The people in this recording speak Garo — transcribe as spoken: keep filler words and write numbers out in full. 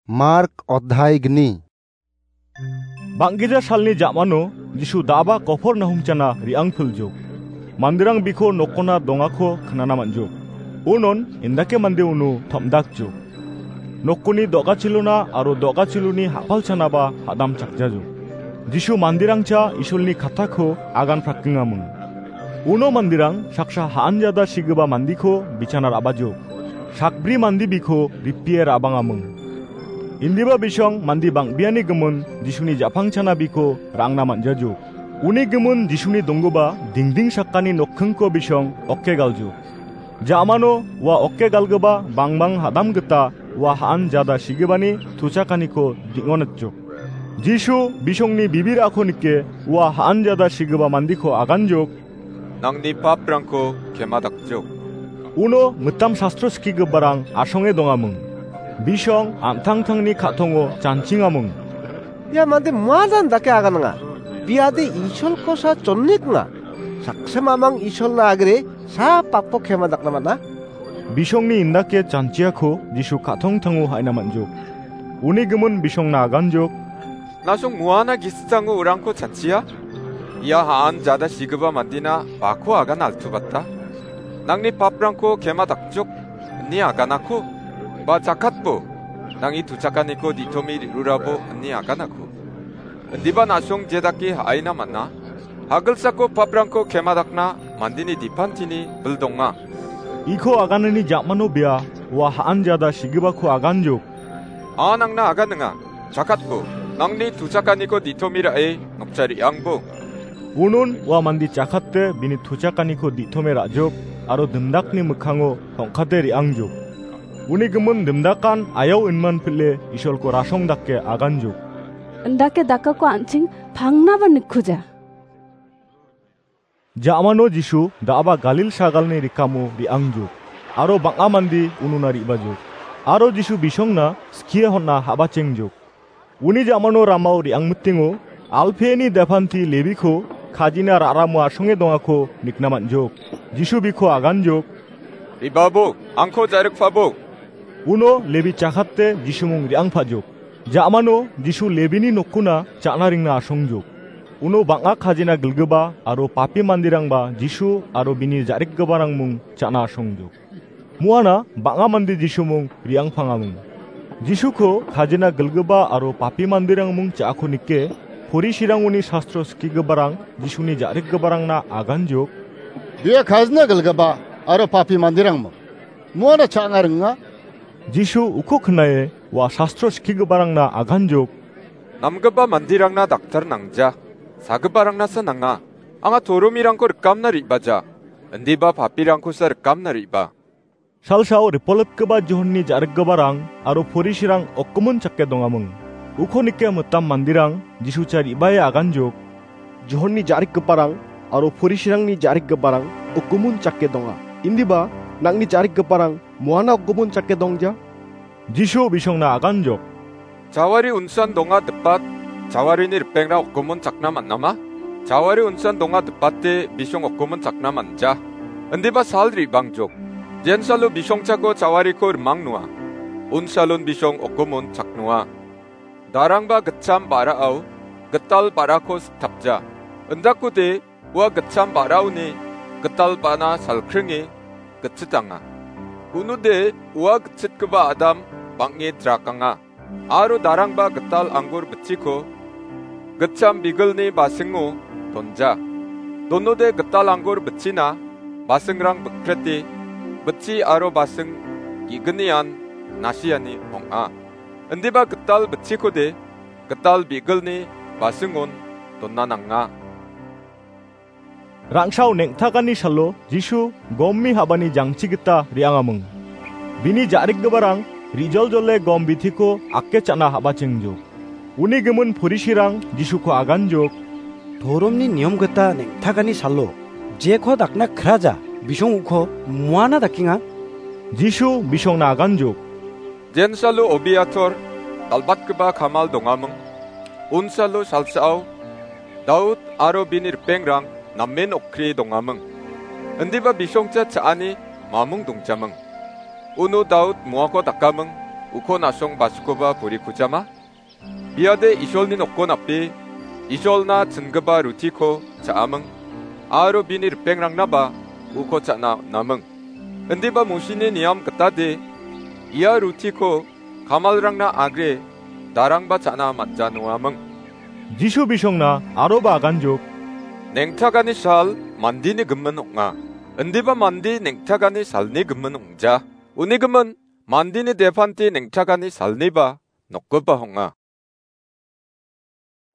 Mark odhai gni. Bang·gija salni ja·mano Jisu da·aba Kopornahumchana re·angpiljuk. Manderang biko nokona dongako knana man·juk. Unon indake mande uno tom·dakjuk. Nokoni do·gachilona aro do·gachiloni ha·palchanaba ha·damchakjajuk. Jisu manderangcha Isolni kattako agan prakengaming. Uno manderang saksa ha·anjada sigipa mandiko bichana ra·bajuk. Sakbri mande biko ripie ra·bangaming. Indiba bisong mande bang·beani gimin Jisuni ja·pangchana biko ra·angna man·jajuk. Uni gimin Jisuni donggipa dingding sakani nokkingko bisong okke galjuk. Ja·mano ua okke galgipa bangbang ha·dam gita ua ha·anjada sigipani tuchakaniko ding·onatjuk. Jisu bisongni bibirako nike ua ha·anjada sigipa mandiko aganjuk. Nangni paprangko kemadakjuk. Uno mitam sastro skigiparang asonge dongaming. Bisong an·tangtangni ka·tongo janchingaming. Ia mande muadan dake agananga. Biade Isolkosa chonniknga. Saksa mamang Isolna agre sa papo kemadakna man·a. Bisongni indake janchiako Jisu ka·tongtango ha·ina man·juk. Uni gimin bisongna aganjuk. Nasong muana gisjango urangko chanchia? Ia ha·anjada sigipa mandina bako agan altubatta? Nangni paprangko kemadakjuk, ine aganako? Ba jakatbo, nang·ni tuchakaniko ditomi ri·rurabo, ine aganako? Indiba nasong jedake ha·aina man·a? Hagilsako paprangko kemadakna mandeni dipantini bil donga. Iko aganani ja·mano bia ua ha·anjada sigipako aganjuk. A nangna aganinga, jakatbo, nangni tuchakaniko ditomi ra·e nokcha re·angbo. Unon ua mande jakate bini tuchakaniko ditome ra·juk aro dimdakni mikkango tongkate re·angjuk. Uni gimin dimdakan ayau inman pile Isolko rasong dake aganjuk. Indake dakako an·ching pangnaba nikkuja. Ja·mano Jisu da·aba Galil sagalni rikamo re·angjuk, aro bang·a mande unona re·bajuk, aro Jisu bisongna skie hon·a ha·bachengjuk. Uni ja·mano ramao re·angmitingo Alpeni depanti Lebiko kajina ra·ramo asonge dongako nikna man·juk. Jisu biko aganjuk. Re·babo, angko ja·rikpabo. Uno Lebi chakate Jisumung re·angpajuk. Ja·mano Jisu Lebini nokona cha·na ringna asongjuk. Uno bang·a kajina gilgipa aro papi manderangba Jisu aro bini ja·rikgiparangmung cha·na asongjuk. Muana bang·a mande Jisumung re·angpangamung. Jisuko kajina gilgipa aro papi manderangmung cha·ako nike, Porisirangoni sastro skigiparang Jisuni ja·rikgiparangna aganjuk. Bia kajina gilgipa aro papi manderangmung. Muana cha·anga ringa. Jisu uko knae ua sastro skigiparangna aganjuk. Namgipa manderangna daktar nangja, sagiparangnasa nanga. Anga toromirangko rikamna re·baja, indiba papirangkosa rikamna re·ba. Salsao ripolatgipa Johonni ja·rikgiparang aro Porisirang okgimin chake dongaming. Uko nike mitam manderang Jisucha re·bae aganjuk. Johonni ja·rikgiparang aro Porisirangni ja·rikgiparang okgimin chake donga. Indiba nang·ni ja·rikgiparang muana okgimin chake dongja? Jisu bisongna aganjok. Jawari unsan donga dipat, jawarini ripengrang okgimin chakna man·ama? Jawari unsan donga dipate bisong okgimin chakna man·ja. Indiba sal re·bangjok. Jensalo bisongchako jawariko rimang noa. Unsalon bisong okgimin chaknoa. Darangba gitcham ba·rao gital ba·rako siktapja. Indakode ua gitcham ba·raoni gital ba·na salkringe gitchitanga. Unode ua gitchitgipa adam bang·e drakanga. Aro darangba gital anggur bitchiko gitcham bigilni basingo donja. Donode gital anggur bitchina basingrang bikrete bitchi aro basing ge·gnian nasiani ong·a. Indiba gital bitchikode gital bigilni basingon dona nanga. Rangsao neng·takani salo Jisu gomni habani jangchi gita re·angaming. Bini ja·rikgiparang rijoljole gom bitiko ake cha·na habachengjok. Uni gimin Porisirang Jisuko aganjok. Toromni niom gita neng·takani salo jeko dakna kraja bisong uko muana dakenga? Jisu bisongna aganjok. Jensalo Obiator dal·batgipa kamal dongaming. Unsalo salsao Daud aro bini ripengrang namen okkri dongaming. Indiba bisongcha cha·ani mamung dongjaming. Uno Daud muako dakaming. uko nasong basikoba purikujama? Biade Isolni nokko nape Isolna chingipa rutiko cha·aming, aro bini ripengrangna ba uko cha·na on·aming. Indiba Mosini niam gitade ia rutiko kamalrangna agre darangba cha·na man·janoaming. Jisu bisongna aroba aganjok, neng·takani sal mandeni gimin ong·a. Indiba mande neng·takani salni gimin ong·ja. Uni gimin mandeni depante neng·takani salniba nokgipa ong·a.